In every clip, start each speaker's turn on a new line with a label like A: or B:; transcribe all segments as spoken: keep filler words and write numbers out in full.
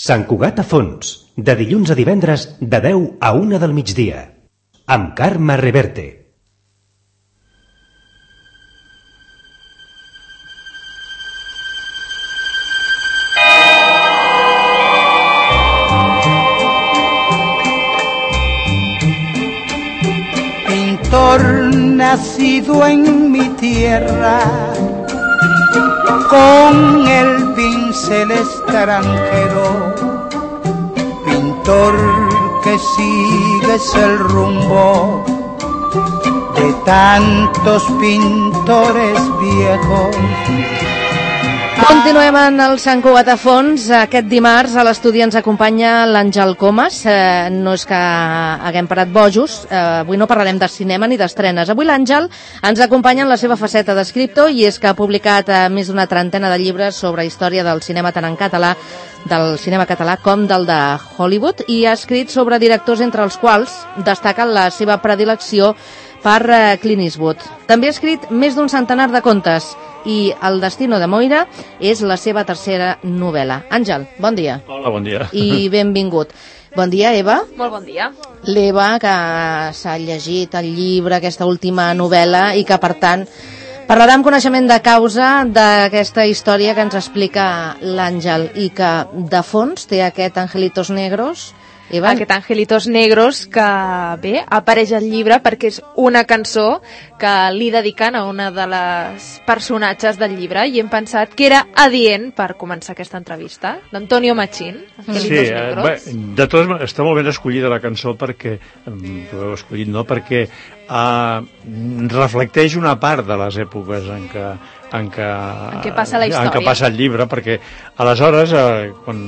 A: Sant Cugat a fons, de dilluns a divendres de deu a una del migdia, amb Carme Reverte.
B: Nacido en mi tierra, con el pincel extranjero, pintor que sigues el rumbo de tantos pintores viejos.
C: Continuem en el Sant Cugat a fons. Aquest dimarts a l'estudi ens acompanya l'Àngel Comas. Eh, no és que haguem parat bojos, eh, avui no parlarem de cinema ni d'estrenes. Avui l'Àngel ens acompanya en la seva faceta d'escriptor, i és que ha publicat eh, més d'una trentena de llibres sobre història del cinema, tant en català, del cinema català com del de Hollywood, i ha escrit sobre directors, entre els quals destaca la seva predilecció per eh, Clint Eastwood. També ha escrit més d'un centenar de contes, i El destino de Moira és la seva tercera novel·la. Àngel, bon dia.
D: Hola, bon dia.
C: I benvingut. Bon dia, Eva.
E: Molt bon dia.
C: L'Eva, que s'ha llegit el llibre, aquesta última novel·la, i que, per tant, parlarà amb coneixement de causa d'aquesta història que ens explica l'Àngel, i que, de fons, té aquest Angelitos Negros. Eva?
E: Aquest Angelitos Negros, que bé, apareix al llibre perquè és una cançó que li dediquen a una de les personatges del llibre, i hem pensat que era adient per començar aquesta entrevista, d'Antonio Machín, Angelitos
D: sí,
E: Negros.
D: Bé, de totes maneres, està molt ben escollida la cançó perquè, ho heu escollit, no? Perquè uh, reflecteix una part de les èpoques en què en què,
E: en què passa la història,
D: en què passa el llibre, perquè aleshores, eh, quan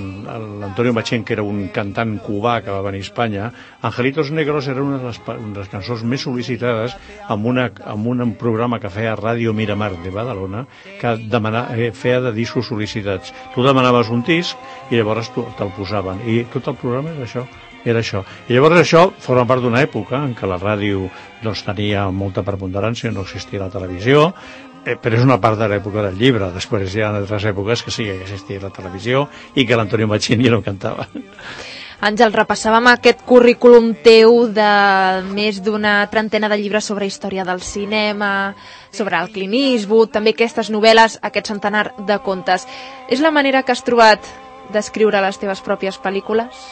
D: l'Antonio Machín, que era un cantant cubà que va venir a Espanya, Angelitos Negros era una de les, una de les cançons més sol·licitades amb, una, amb un programa que feia Ràdio Miramar de Badalona, que demana, eh, feia de discos sol·licitats. Tu demanaves un disc i llavors te'l posaven, i tot el programa era això. Era això. I llavors això forma part d'una època en què la ràdio doncs, tenia molta preponderància, no existia la televisió, eh, però és una part de l'època del llibre. Després hi ha altres èpoques que sí que existia la televisió i que l'Antonio Machín ja no cantava.
E: Àngel, repassàvem aquest currículum teu de més d'una trentena de llibres sobre història del cinema, sobre el Clint Eastwood, també aquestes novel·les, aquest centenar de contes. És la manera que has trobat d'escriure les teves pròpies pel·lícules?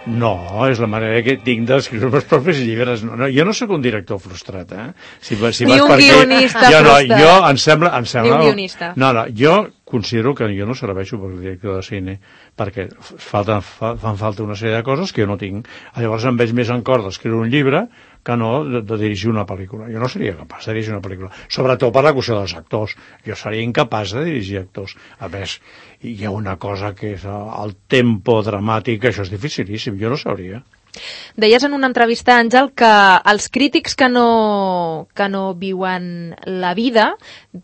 D: No, és la manera que tinc d'escriure els propis llibres. No, no, jo no sóc un director frustrat, eh? Si, si
E: Ni un
D: perquè,
E: guionista
D: jo, no,
E: frustrat.
D: jo, em sembla, em sembla,
E: Ni un guionista.
D: No, no, jo considero que jo no serveixo per director de cine, perquè falta, fa, fan falta una sèrie de coses que jo no tinc. Llavors em veig més en cor d'escriure un llibre que no de, de dirigir una pel·lícula. Jo no seria capaç de dirigir una pel·lícula, sobretot per la qüestió dels actors. Jo seria incapaç de dirigir actors. A més, hi ha una cosa que és el tempo dramàtic, això és dificilíssim, jo no sabria.
E: Deies en una entrevista, Àngel, que els crítics que no, que no viuen la vida,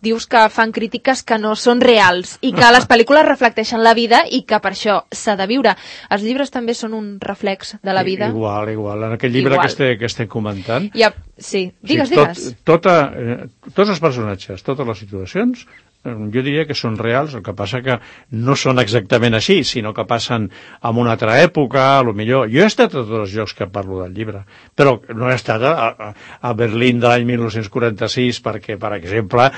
E: dius que fan crítiques que no són reals i que les pel·lícules reflecteixen la vida i que per això s'ha de viure. Els llibres també són un reflex de la vida?
D: Igual, igual. En aquest llibre
E: igual.
D: que estem, que estem comentant...
E: Ja, sí, digues,
D: sí, tot,
E: digues.
D: Tota, eh, tots els personatges, totes les situacions, jo diria que són reals, el que passa que no són exactament així, sinó que passen en una altra època, a lo millor. Jo he estat a tots els llocs que parlo del llibre, però no he estat a, a, a Berlín de l'any mil nou-cents quaranta-sis perquè, per exemple,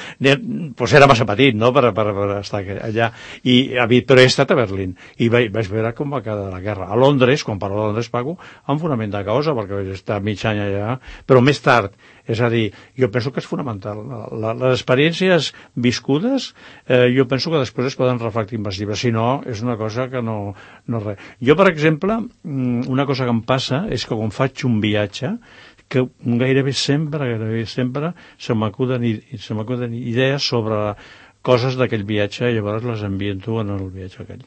D: pues era massa petit, no?, per, per, per estar allà. I, però he estat a Berlín i vaig, vaig veure com va quedar la guerra. A Londres, quan parlo de Londres, pago amb fonament de causa, perquè vaig estar mig any allà, però més tard. És a dir, jo penso que és fonamental. La, les experiències viscudes, eh, jo penso que després es poden reflectir en els llibres. Si no, és una cosa que no, no res. Jo, per exemple, una cosa que em passa és que quan faig un viatge, que gairebé sempre, gairebé sempre, se m'acuden, se m'acuden idees sobre coses d'aquell viatge i llavors les ambiento en el viatge aquell.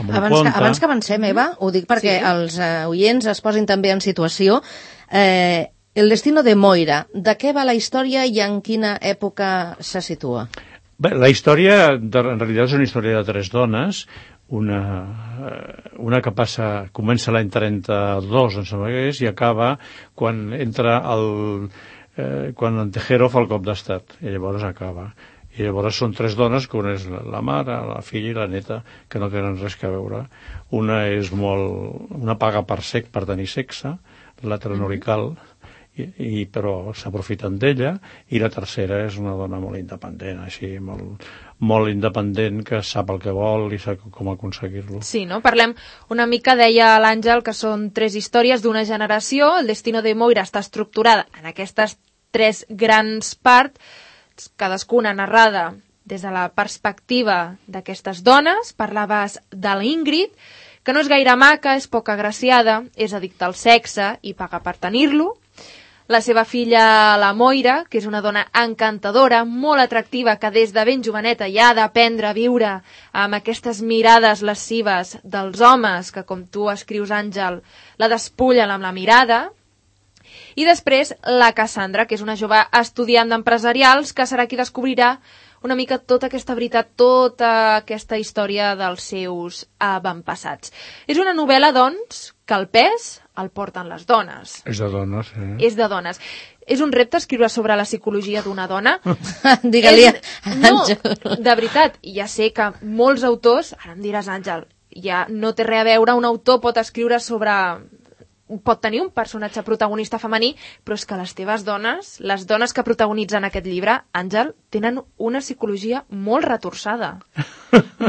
C: Abans que, abans que avancem, Eva, ho dic perquè sí. els uh, oients es posin també en situació. Eh, El destino de Moira, de què va la història i en quina època se situa?
D: Bé, la història, de, en realitat, és una història de tres dones, una, una que passa, comença l'any trenta-dos, em sembla que és, i acaba quan entra el... Eh, quan en Tejero fa el cop d'estat, i llavors acaba. I llavors són tres dones, que una és la mare, la filla i la neta, que no tenen res a veure. Una és molt... una paga per sec, per tenir sexe, l'altra no li cal, i, i, però s'aprofiten d'ella, i la tercera és una dona molt independent, així, molt, molt independent, que sap el que vol i sap com aconseguir-lo.
E: Sí, no? Parlem una mica, deia l'Àngel, que són tres històries d'una generació. El Destino de Moira està estructurada en aquestes tres grans parts, cadascuna narrada des de la perspectiva d'aquestes dones. Parlaves de l'Ingrid, que no és gaire maca, és poc agraciada, és addicta al sexe i paga per tenir-lo. La seva filla, la Moira, que és una dona encantadora, molt atractiva, que des de ben joveneta ja ha d'aprendre a viure amb aquestes mirades lascives dels homes, que com tu escrius, Àngel, la despullen amb la mirada. I després la Cassandra, que és una jove estudiant d'empresarials, que serà qui descobrirà una mica tota aquesta veritat, tota aquesta història dels seus avantpassats. És una novel·la, doncs, que el pes el porten les dones.
D: És de dones, eh?
E: És de dones. És un repte escriure sobre la psicologia d'una dona?
C: Digue-li,
E: no, de veritat, ja sé que molts autors, ara em diràs, Àngel, ja no té res a veure, un autor pot escriure sobre... pot tenir un personatge protagonista femení, però és que les teves dones, les dones que protagonitzen aquest llibre, Àngel, tenen una psicologia molt retorçada.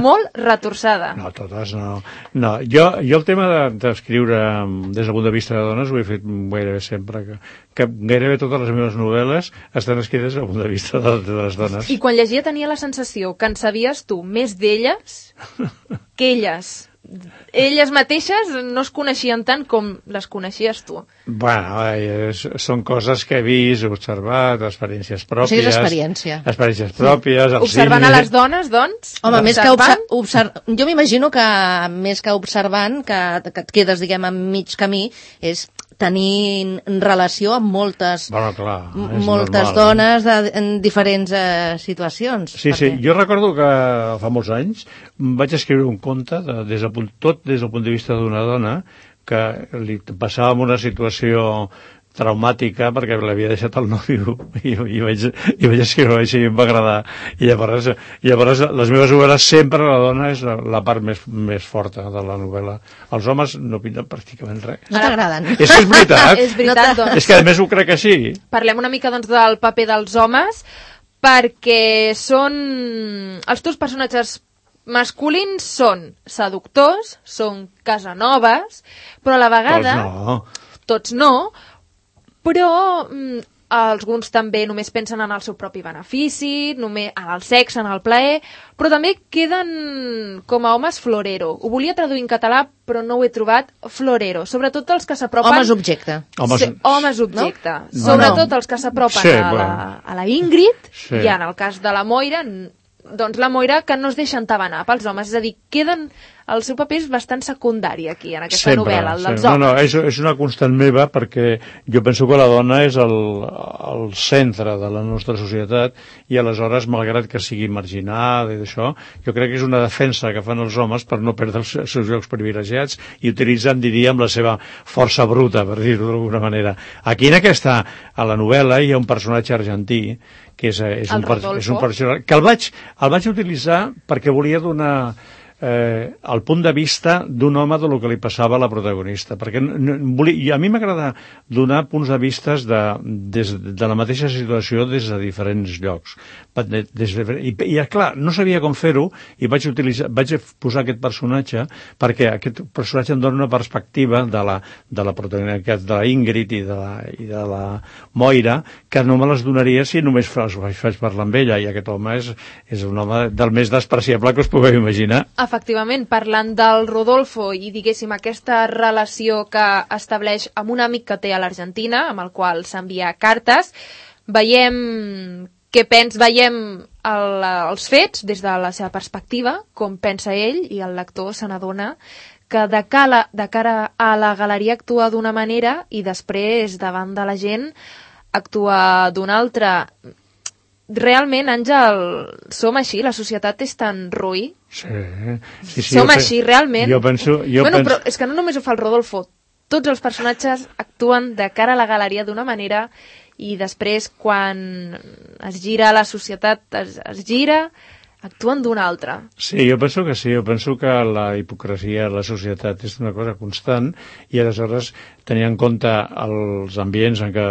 E: Molt retorçada.
D: No, totes no. No, jo, jo el tema d'escriure de, des del punt de vista de dones ho he fet gairebé sempre, que, que gairebé totes les meves novel·les estan escrites des del punt de vista de, de les dones.
E: I quan llegia tenia la sensació que en sabies tu més d'elles que elles. Elles mateixes no es coneixien tant com les coneixies tu.
D: Bueno, és, són coses que he vist, he observat, experiències pròpies.
C: O sigui, és experiència.
D: Experiències pròpies, al
E: Observant
D: cine.
E: a les dones, doncs?
C: Home, més que observant... Obser... Jo m'imagino que més que observant, que, que et quedes, diguem, a mig camí, és tenir relació amb moltes,
D: bueno, clar,
C: moltes
D: normal,
C: dones de, en diferents eh, situacions.
D: Sí, perquè... sí, jo recordo que fa molts anys vaig escriure un conte, de, des del punt, tot des del punt de vista d'una dona, que li passava una situació traumàtica perquè l'havia deixat el nòvio i, i, vaig, i vaig escriure així i em va agradar. I llavors, llavors les meves novel·les sempre la dona és la, la part més, més forta de la novel·la. Els homes no pinten pràcticament res.
C: No t'agraden.
D: És que és veritat.
E: És veritat, doncs.
D: És que a més ho crec que sí.
E: Parlem una mica, doncs, del paper dels homes, perquè són... Els teus personatges masculins són seductors, són casanoves, però a la vegada...
D: Tots no.
E: Tots no, però mm, alguns també només pensen en el seu propi benefici, només en el sexe, en el plaer, però també queden com a homes florero. Ho volia traduir en català, però no ho he trobat, florero. Sobretot els que s'apropen...
C: Homes objecte.
D: Homes,
E: sí, homes objecte.
C: No?
E: Sobretot
C: no.
E: els que s'apropen
D: sí,
E: a, la,
D: bueno.
E: a la Ingrid,
D: sí.
E: I en el cas de la Moira... doncs la Moira que no es deixa entabanar pels homes, és a dir, queden el seu paper és bastant secundari aquí, en aquesta
D: sempre,
E: novel·la, el dels
D: sempre.
E: homes.
D: No, no, és, és una constant meva perquè jo penso que la dona és el, el centre de la nostra societat i aleshores, malgrat que sigui marginada i d'això, jo crec que és una defensa que fan els homes per no perdre els seus llocs privilegiats i utilitzen, diríem, la seva força bruta, per dir-ho d'alguna manera. Aquí en aquesta, a la novel·la, hi ha un personatge argentí que és, és, un, és un personatge que el vaig, el vaig utilitzar perquè volia donar eh, el punt de vista d'un home de lo que li passava a la protagonista, perquè no, volia, a mi m'agrada donar punts de vista de, des de la mateixa situació des de diferents llocs. Des de, i, i clar, no sabia com fer-ho i vaig, utilitzar, vaig posar aquest personatge perquè aquest personatge em dona una perspectiva de la, de la protagonista, de la Ingrid i de la, i de la Moira, que no me les donaria si només els faig parlar amb ella, i aquest home és, és un home del més despreciable que us pugueu imaginar.
E: Efectivament, parlant del Rodolfo i, diguéssim, aquesta relació que estableix amb un amic que té a l'Argentina, amb el qual s'envia cartes, veiem què pens, veiem el, els fets des de la seva perspectiva, com pensa ell, i el lector se n'adona que de cara, de cara a la galeria actua d'una manera i després, davant de la gent, actua d'una altra. Realment, Àngel, som així? La societat és tan ruï?
D: Sí, sí, sí.
E: Som així, realment?
D: Jo penso... Jo
E: bueno,
D: penso...
E: però és que no només ho fa el Rodolfo, tots els personatges actuen de cara a la galeria d'una manera i després quan es gira la societat, es, es gira, actuen d'una altra.
D: Sí, jo penso que sí, jo penso que la hipocresia a la societat és una cosa constant i aleshores tenir en compte els ambients en què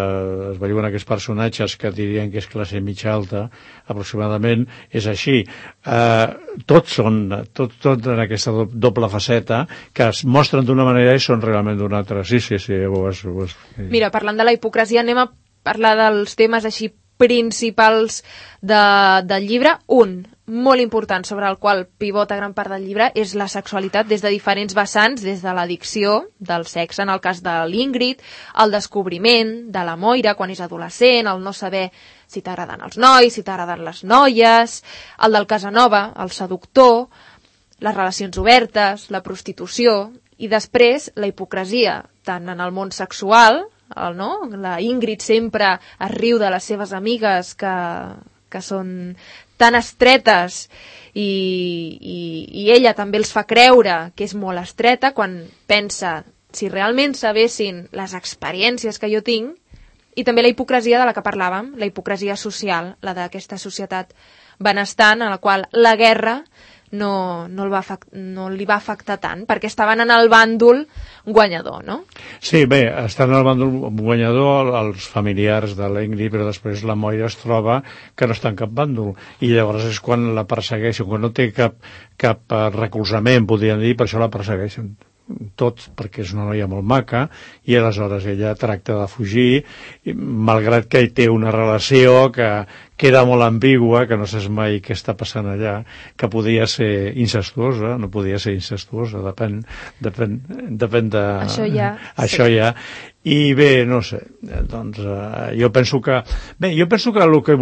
D: es veuen aquests personatges que dirien que és classe mitja alta, aproximadament, és així. Eh, tots són, tot, tot en aquesta doble faceta, que es mostren d'una manera i són realment d'una altra. Sí, sí, sí. Ho has, ho has...
E: Mira, parlant de la hipocresia, anem a parlar dels temes així principals de, del llibre. Un, molt important, sobre el qual pivota gran part del llibre, és la sexualitat des de diferents vessants, des de l'addicció, del sexe, en el cas de l'Ingrid, el descobriment de la Moira quan és adolescent, el no saber si t'agraden els nois, si t'agraden les noies, el del Casanova, el seductor, les relacions obertes, la prostitució, i després la hipocresia, tant en el món sexual, el, no? La Ingrid sempre es riu de les seves amigues que, que són tan estretes i, i, i ella també els fa creure que és molt estreta quan pensa si realment sabessin les experiències que jo tinc, i també la hipocresia de la que parlàvem, la hipocresia social, la d'aquesta societat benestant en la qual la guerra no, no, el va no li va afectar tant, perquè estaven en el bàndol guanyador, no?
D: Sí, bé, estan en el bàndol guanyador els familiars de l'Ingrid, però després la Moira es troba que no està en cap bàndol, i llavors és quan la persegueixen, quan no té cap, cap recolzament, podríem dir, per això la persegueixen tot, perquè és una noia molt maca, i aleshores ella tracta de fugir, malgrat que hi té una relació que queda molt ambigua, que no saps mai què està passant allà, que podia ser incestuosa, no podia ser incestuosa, depèn, depèn, depèn de...
E: Això ja...
D: Això
E: sí.
D: ja... I bé, no sé, doncs eh, jo penso que... Bé, jo penso que, el que,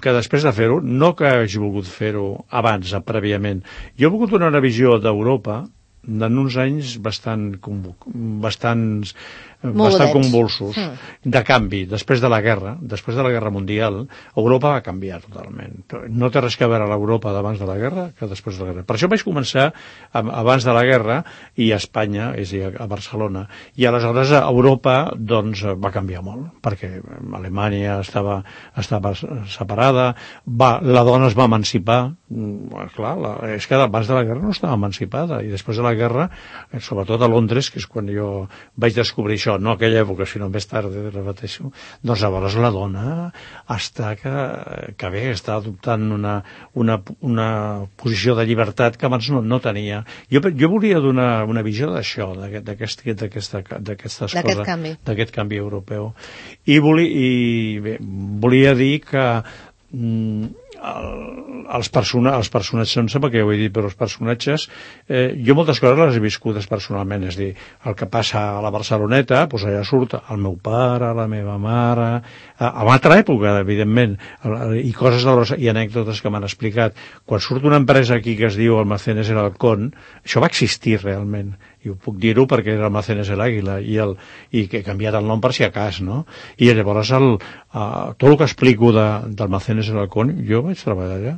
D: que després de fer-ho, no que hagi volgut fer-ho abans, prèviament, jo he volgut donar una visió d'Europa en uns anys bastant, bastants, bastant convulsos, mm. de canvi, després de la guerra, després de la guerra mundial, Europa va canviar totalment. No té res que veure l'Europa d'abans de la guerra que després de la guerra. Per això vaig començar abans de la guerra i a Espanya, és a dir, a Barcelona. I aleshores a Europa doncs, va canviar molt, perquè Alemanya estava, estava separada, va, la dona es va emancipar, clar, la, és que abans de la guerra no estava emancipada, i després de la guerra, sobretot a Londres, que és quan jo vaig descobrir això, no aquella època, sinó més tard, repeteixo, doncs llavors la dona està que, que bé, està adoptant una, una, una posició de llibertat que abans no, no tenia. Jo, jo volia donar una visió d'això, d'aquest, d'aquesta, d'aquestes coses,
C: canvi.
D: d'aquest canvi europeu. I, volia, i bé, volia dir que mm, el, els, persona, els personatges, no sé per què ho he dit, però els personatges, eh, jo moltes coses les he viscudes personalment, és a dir, el que passa a la Barceloneta, doncs allà surt el meu pare, la meva mare, a, a una altra època, evidentment, i coses de les, i anècdotes que m'han explicat. Quan surt una empresa aquí que es diu Almacenes El Halcón, això va existir realment, i ho puc dir-ho perquè era Almacenes El Águila, i, el, i que he canviat el nom per si a cas, no? I llavors el, uh, tot el que explico d'Almacenes El Halcón, jo vaig treballar allà,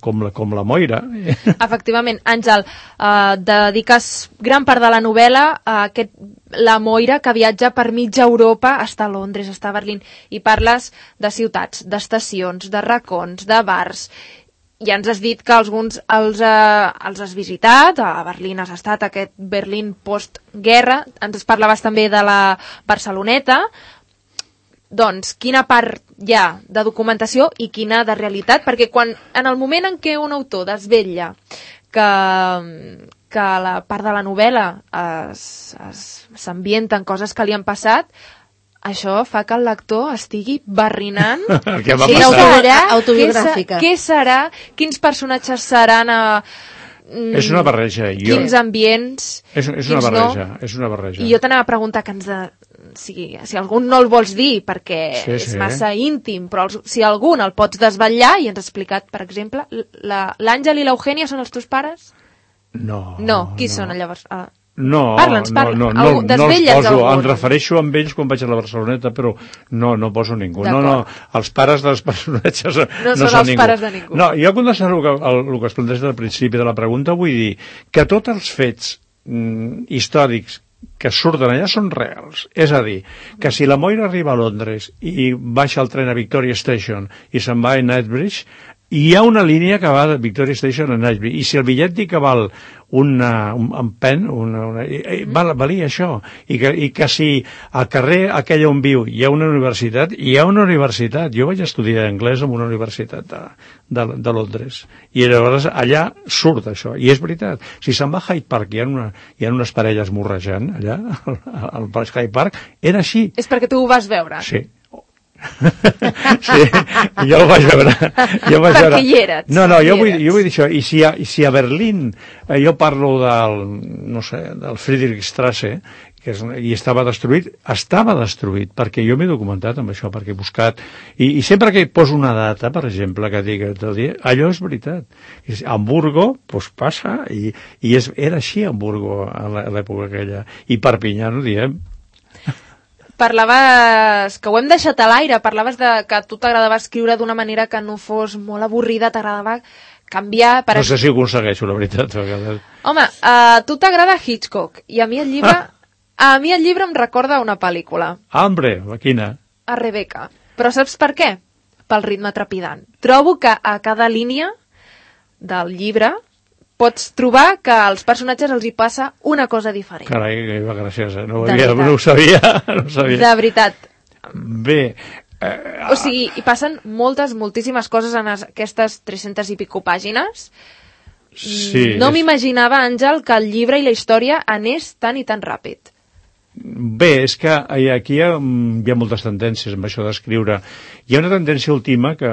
D: com la, com la Moira.
E: Efectivament, Àngel, eh, dediques gran part de la novel·la a aquest, la Moira que viatja per mitja Europa, està a Londres, està a Berlín, i parles de ciutats, d'estacions, de racons, de bars. Ja ens has dit que alguns els, eh, els has visitat, a Berlín has estat, aquest Berlín postguerra, ens parlaves també de la Barceloneta. Doncs, quina part hi ha de documentació i quina de realitat? Perquè quan, en el moment en què un autor desvetlla que, que la part de la novel·la s'ambienta en coses que li han passat, això fa que el lector estigui barrinant.
D: Què va
C: sí,
D: passar?
C: Autobiogràfica.
E: Què serà? Quins personatges seran? A,
D: és una barreja. Jo...
E: Quins ambients?
D: És, és una barreja, no? És una barreja.
E: I jo t'anava a preguntar que ens de... si, si algun no el vols dir perquè
D: sí,
E: és
D: sí.
E: massa íntim, però els, si algun el pots desvetllar, i ens has explicat, per exemple, l'Àngel i l'Eugènia són els teus pares?
D: No.
E: No, qui
D: no.
E: són llavors? Ah.
D: No,
E: Parla'ns, parla.
D: no, no, no, no els poso, em refereixo amb ells quan vaig a la Barceloneta, però no, no poso ningú. No, no, els pares dels personatges no,
E: no són
D: són
E: els
D: ningú.
E: pares de ningú.
D: No, jo contestant el que, el, el que es planteja al principi de la pregunta, vull dir que tots els fets mm, històrics que surten allà són reals. És a dir, que si la Moira arriba a Londres i baixa el tren a Victoria Station i se'n va a Knightsbridge, hi ha una línia que va de Victoria Station a Knightsbridge, i si el bitllet dic que val una, un, un pen, una, una, val, valia això, I que, i que si al carrer aquell on viu hi ha una universitat, hi ha una universitat. Jo vaig estudiar anglès en una universitat de, de, de Londres, i llavors allà surt això, i és veritat. Si se'n va a Hyde Park, hi ha, una, hi ha unes parelles morrejant allà, al, al Hyde Park, era així.
E: És perquè tu ho vas veure?
D: Sí. Sí, jo ho vaig veure, jo vaig veure.
E: Perquè hi eres.
D: No, no, jo vull, jo vull dir això. I si a, i si a Berlín eh, jo parlo del, no sé, del Friedrichstrasse, que és, i estava destruït, estava destruït, perquè jo m'he documentat amb això, perquè he buscat, i, i sempre que poso una data, per exemple, que digui el dia, allò és veritat. I, Hamburgo, doncs passa, i, i és, era així Hamburgo a l'època aquella, i Perpinyà, no diem.
E: Parlaves, que ho hem deixat a l'aire, parlaves de que a tu t'agradava escriure d'una manera que no fos molt avorrida, t'agradava canviar... Per
D: no sé si ho aconsegueixo, la veritat.
E: Home, a tu t'agrada Hitchcock, i a mi el llibre... Ah. A mi el llibre em recorda una pel·lícula.
D: Ah, hombre, quina?
E: A Rebecca. Però saps per què? Pel ritme trepidant. Trobo que a cada línia del llibre pots trobar que als personatges els hi passa una cosa diferent.
D: Carai, que va graciós, eh? No ho, havia, no ho sabia, no ho sabia.
E: De veritat.
D: Bé... Eh,
E: o sigui, hi passen moltes, moltíssimes coses en aquestes tres-centes i pico pàgines.
D: Sí,
E: no
D: és...
E: m'imaginava, Àngel, que el llibre i la història anés tan i tan ràpid.
D: Bé, és que aquí hi ha, hi ha moltes tendències amb això d'escriure. Hi ha una tendència última que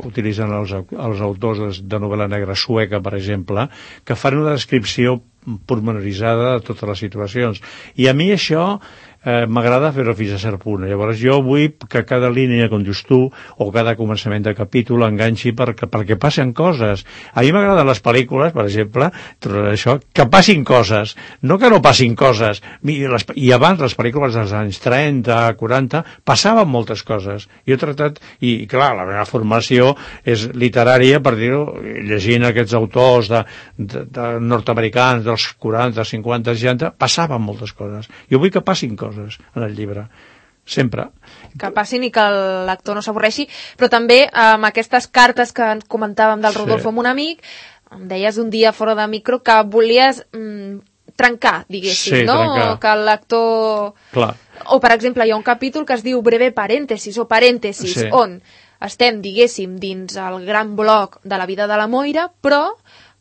D: utilitzen els, els autors de novel·la negra sueca, per exemple, que fan una descripció pormenoritzada de totes les situacions. I a mi això eh, m'agrada fer-ho fins a cert punt. Llavors jo vull que cada línia, com dius tu, o cada començament de capítol enganxi perquè, perquè passen coses. A mi m'agraden les pel·lícules, per exemple, això, que passin coses, no que no passin coses. I, les, i abans, les pel·lícules dels anys trenta, quaranta, passaven moltes coses. Jo he tractat, i clar, la meva formació és literària, per dir-ho, llegint aquests autors de, de, de nord-americans dels quaranta, cinquanta, seixanta, passaven moltes coses. Jo vull que passin coses en el llibre, sempre.
E: Que passin i que el lector no s'avorreixi, però també amb aquestes cartes que comentàvem del Rodolfo sí. amb un amic, em deies un dia fora de micro que volies mm, trencar, diguéssim,
D: sí,
E: no?
D: Trencar.
E: Que el lector...
D: Clar.
E: O, per exemple, hi ha un capítol que es diu breve parèntesis o parèntesis, sí. on estem, diguéssim, dins el gran bloc de la vida de la Moira, però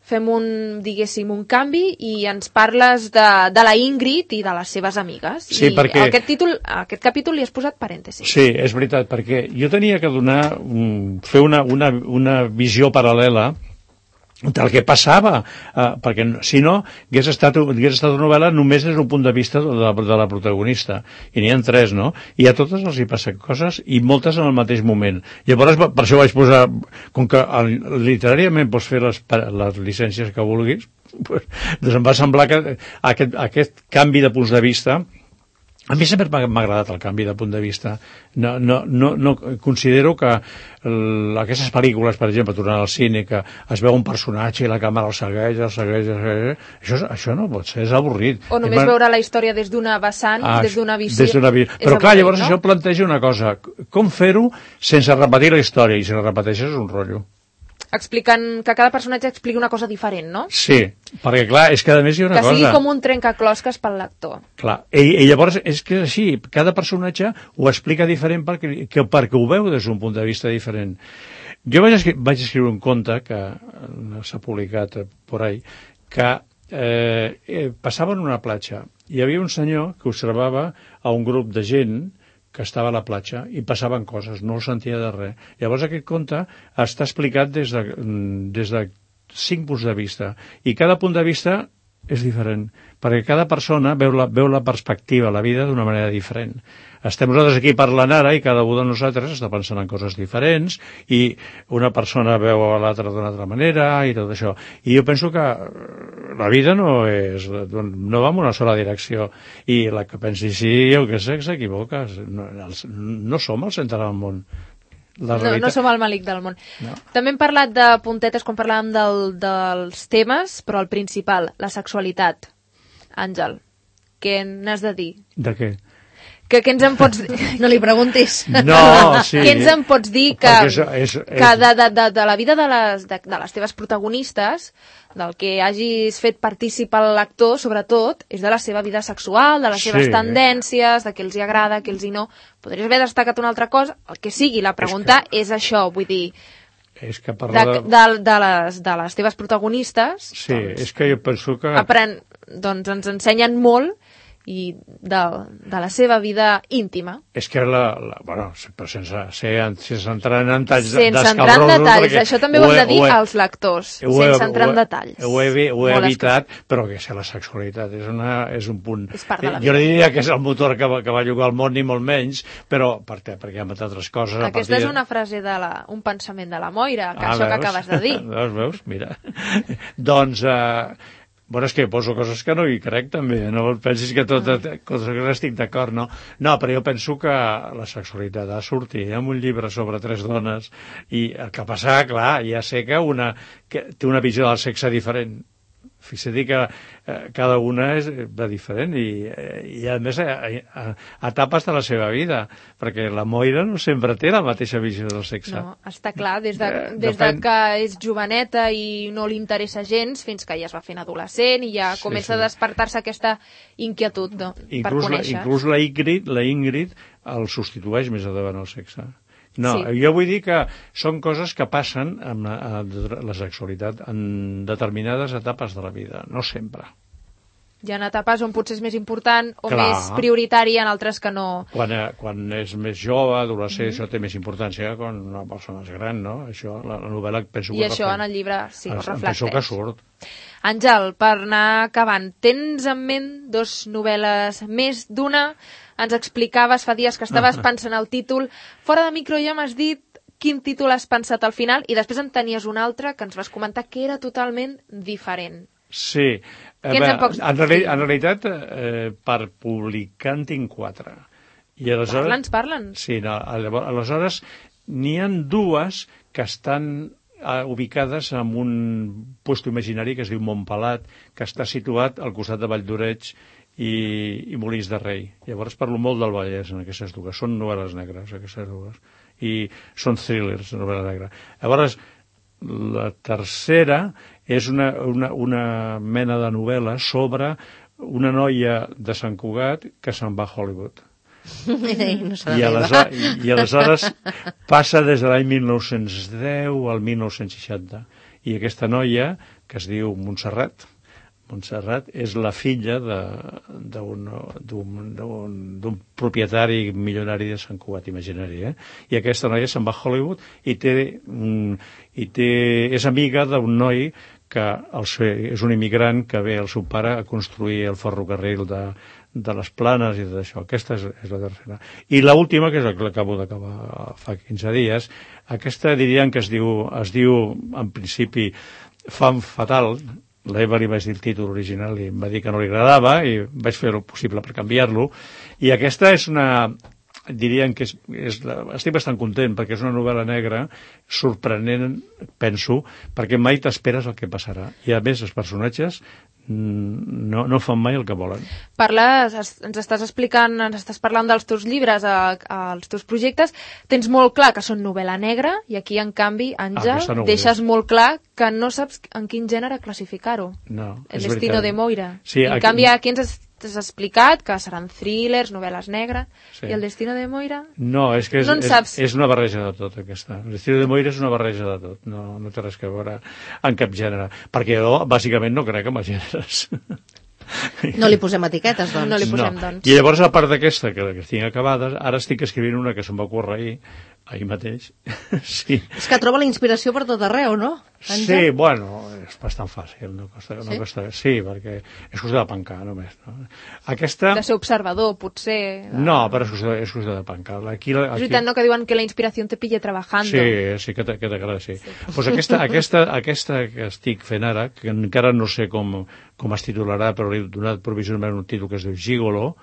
E: fem un, diguéssim, un canvi i ens parles de, de la Ingrid i de les seves amigues.
D: Sí,
E: I
D: perquè...
E: aquest, títol, aquest capítol li has posat parèntesis.
D: Sí, és veritat, perquè jo tenia que donar, fer una, una, una visió paral·lela del que passava, eh, perquè si no hagués estat, hagués estat una novel·la només des d'un punt de vista de la, de la protagonista, i n'hi ha tres, no? I a totes els hi passen coses i moltes en el mateix moment. Llavors, per això vaig posar, com que literàriament pots fer les, les llicències que vulguis, pues, doncs em va semblar que aquest, aquest canvi de punts de vista, a mi sempre m'ha agradat el canvi de punt de vista. No, no, no, no considero que el, aquestes pel·lícules, per exemple, tornant al cine, que es veu un personatge i la càmera el segueix, el segueix, el segueix, això, això no pot ser, és avorrit.
E: O només
D: man...
E: veure la història des d'una vessant, ah, des d'una visió.
D: Des d'una visió. Però clar, llavors no? Això planteja una cosa, com fer-ho sense repetir la història, i si la repeteixes és un rotllo.
E: Explicant que cada personatge expliqui una cosa diferent, no?
D: Sí, perquè clar, és que a més hi ha una
E: que
D: cosa...
E: Que sigui com un trencaclosques pel lector.
D: Clar, i, i llavors és que és així, cada personatge ho explica diferent perquè, que, perquè ho veu des d'un punt de vista diferent. Jo vaig, escri vaig escriure un conte que s'ha publicat por ahí, que eh, eh, passava en una platja. Hi havia un senyor que observava a un grup de gent que estava a la platja i passaven coses, no el sentia de res. Llavors aquest conte està explicat des de, des de cinc punts de vista, i cada punt de vista és diferent, perquè cada persona veu la, veu la perspectiva, la vida d'una manera diferent. Estem nosaltres aquí parlant ara i cada un de nosaltres està pensant en coses diferents i una persona veu a l'altra d'una altra manera i tot això. I jo penso que la vida no és, no va en una sola direcció, i la que pensi sí, jo què sé, s'equivoca. No, no som el centre del món.
E: No, no som el malic del món.
D: No.
E: També hem parlat de puntetes quan parlàvem del, dels temes, però el principal, la sexualitat. Àngel, què n'has de dir?
D: De què?
E: Que què ens en pots dir?
C: No li preguntis.
D: No, sí.
E: Què ens en pots dir que,
D: Perquè és, és, és...
E: que de, de, de, de la vida de les, de, de les teves protagonistes, del que hagis fet partícip al lector, sobretot, és de la seva vida sexual, de les
D: Sí.
E: seves tendències, de què els hi agrada, què els hi no. Podries haver destacat una altra cosa, el que sigui. La pregunta és, que... és això, vull dir,
D: és que
E: de,
D: parla
E: de, de, de, les, de les teves protagonistes,
D: Sí,
E: doncs,
D: és que jo penso que...
E: apren, doncs ens ensenyen molt i de, de la seva vida íntima.
D: És que la... la bueno, però sense, sense entrar en detalls
E: Sense entrar en detalls, això també ho hem de dir
D: he,
E: als lectors,
D: ho he,
E: sense entrar
D: ho
E: en
D: he,
E: detalls.
D: Ho he, ho he
E: Molt
D: evitat, però que és la sexualitat és, una, és un punt...
E: És part de la
D: jo no
E: vida.
D: diria que és el motor que va, que va llogar el món, ni molt menys, però per què? Perquè hi ha altres coses. a
E: Aquesta
D: partir
E: és una frase, de la, un pensament de la Moira, que ah, això
D: veus?
E: que acabes de dir.
D: Veus, veus? Mira. doncs... Eh, Bueno, és que poso coses que no hi crec, també. No pensis que tot, coses que estic d'acord, no? No, però jo penso que la sexualitat ha de sortir en un llibre sobre tres dones i el que passa, clar, ja sé que una que té una visió del sexe diferent. Fixa't que eh, cada una és de diferent i, i a més a, a, a etapes de la seva vida, perquè la Moira no sempre té la mateixa visió del sexe.
E: No, està clar, des de,
D: Eh,
E: des
D: depèn.
E: de que és joveneta i no li interessa gens, fins que ja es va fent adolescent i ja
D: Sí,
E: comença
D: sí.
E: a despertar-se aquesta inquietud no, per
D: Inclús, la,
E: conèixer.
D: inclús la Ingrid, la Ingrid el substitueix més endavant el sexe. No,
E: Sí.
D: jo vull dir que són coses que passen amb la, la sexualitat en determinades etapes de la vida, no sempre.
E: Hi ha etapes on potser és més important o
D: Clar.
E: més prioritari, en altres que no.
D: Quan, eh, quan és més jove, adolescent, mm -hmm. això té més importància que quan una persona és gran, no? Això, la, la novel·la penso
E: I
D: que
E: això
D: reflect-
E: en el llibre sí, ho
D: Penso
E: reflecteix.
D: que surt.
E: Àngel, per anar acabant, tens en ment dos novel·les més d'una? Ens explicaves fa dies que estaves pensant el títol. Fora de micro ja m'has dit quin títol has pensat al final i després en tenies un altre que ens vas comentar que era totalment diferent.
D: Sí.
E: Què ens en pots
D: en, reali
E: dir?
D: en realitat, eh, per publicar en tinc quatre. I aleshores...
E: Parla'ns, parla'ns.
D: Sí, no, aleshores n'hi ha dues que estan eh, ubicades en un puesto imaginari que es diu Montpelat, que està situat al costat de Valldoreix i, i Molins de Rei. Llavors parlo molt del Vallès en aquestes dues. Són novel·les negres, aquestes dues. I són thrillers, novel·la negra. Llavors, la tercera és una, una, una mena de novel·la sobre una noia de Sant Cugat que se'n va a Hollywood.
C: No
D: I, aleshores, i, I aleshores passa des de l'any mil nou-cents deu al mil nou-cents seixanta. I aquesta noia, que es diu Montserrat, Montserrat és la filla d'un propietari milionari de Sant Cugat, imaginari, eh? I aquesta noia se'n va a Hollywood i, té, mm, i té, és amiga d'un noi que el seu, és un immigrant que ve el seu pare a construir el ferrocarril de, de les Planes i tot això. Aquesta és, és la tercera. I l'última, que és la que acabo d'acabar fa quinze dies, aquesta diríem que es diu, es diu en principi Femme Fatale. L'Eva li vaig dir el títol original i em va dir que no li agradava i vaig fer el possible per canviar-lo. I aquesta és una... diríem que és, és la, estic bastant content perquè és una novel·la negra sorprenent, penso, perquè mai t'esperes el que passarà. I a més els personatges no, no fan mai el que volen.
E: Parles, ens estàs explicant, ens estàs parlant dels teus llibres, a, a, als teus projectes, tens molt clar que són novel·la negra i aquí, en canvi, Àngel,
D: Ah, no
E: deixes molt clar que no saps en quin gènere classificar-ho.
D: No,
E: El
D: és
E: destino
D: veritat.
E: de Moira.
D: Sí,
E: en
D: aquí...
E: canvi, aquí ens has, has explicat que seran thrillers, novel·les negres,
D: Sí.
E: i el destino de Moira...
D: No, és que és,
E: No en
D: és,
E: saps.
D: és una barreja de tot, aquesta. L'estil de Moira és una barreja de tot, no, no té res a veure en cap gènere, perquè jo, bàsicament, no crec en els gèneres.
C: No li posem etiquetes, doncs.
E: No li posem,
D: no.
E: doncs.
D: I llavors, a part d'aquesta, que, que tinc acabades, ara estic escrivint una que se'm va ocórrer ahir, ahir mateix. Sí.
C: És que troba la inspiració per tot arreu, no?
D: Sí,
C: Àngel?
D: bueno, és bastant fàcil, no costa, no
C: Sí?
D: costa, sí, perquè és qüestió de pencar, només. No? Aquesta...
E: De ser observador, potser... De...
D: No, però és qüestió, és qüestió de pencar. Aquí,
E: És
D: aquí...
E: veritat, no?, que diuen que la inspiració te pille trabajando.
D: Sí, sí, que t'agrada, sí. sí. Pues aquesta, aquesta, aquesta que estic fent ara, que encara no sé com, com es titularà, però li he donat provisionalment un títol que es diu Gigolo,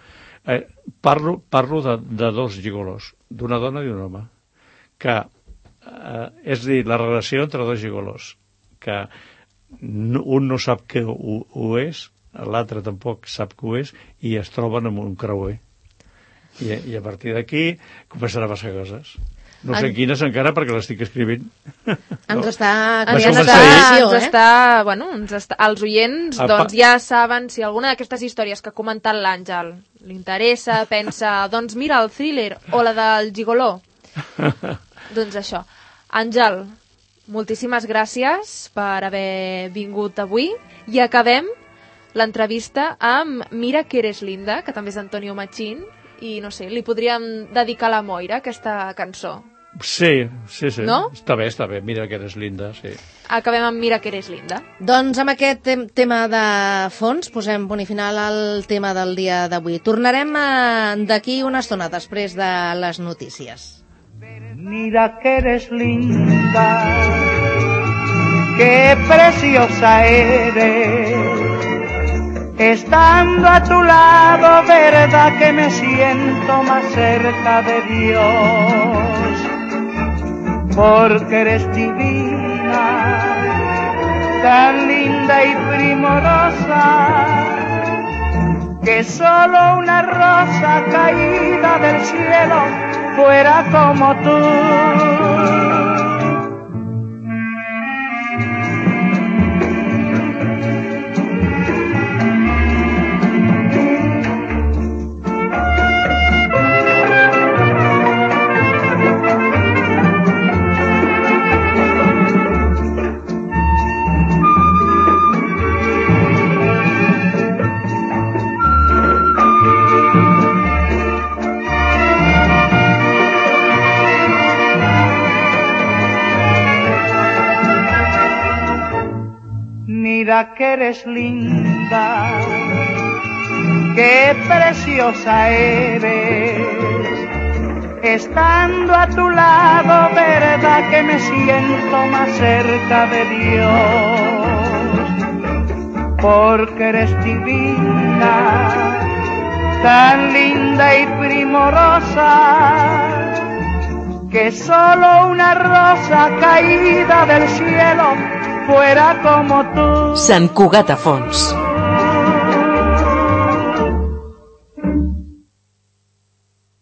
D: eh, parlo, parlo de, de dos gigolos, d'una dona i d'un home, que, eh, és a dir, la relació entre dos gigolos, que no, un no sap que ho, ho és, l'altre tampoc sap que ho és, i es troben amb un creuer. I, i a partir d'aquí començaran a passar coses. No sé en... quines encara, perquè l'estic escrivint.
C: Ens està...
E: Ens està, ens està, bueno, ens està, els oients Apa. doncs ja saben si alguna d'aquestes històries que ha comentat l'Àngel li interessa, pensa, doncs mira el thriller o la del gigoló. Doncs això. Àngel, moltíssimes gràcies per haver vingut avui i acabem l'entrevista amb Mira que eres linda, que també és Antonio Machín, i no sé, li podríem dedicar a la Moira aquesta cançó.
D: Sí, sí, sí.
E: No?
D: Està bé, està bé. Mira que eres linda, sí.
E: Acabem amb Mira que eres linda.
C: Doncs amb aquest tem tema de fons posem punt i final al tema del dia d'avui. Tornarem d'aquí una estona després de les notícies.
B: Mira que eres linda, qué preciosa eres. Estando a tu lado, verdad que me siento más cerca de Dios, porque eres divina, tan linda y primorosa, que solo una rosa caída del cielo fuera como tú. Mira que eres linda, qué preciosa eres. Estando a tu lado, verdad que me siento más cerca de Dios, porque eres divina, tan linda y primorosa, que solo una rosa caída del cielo fuera como tú.
F: Sant Cugat a Fons.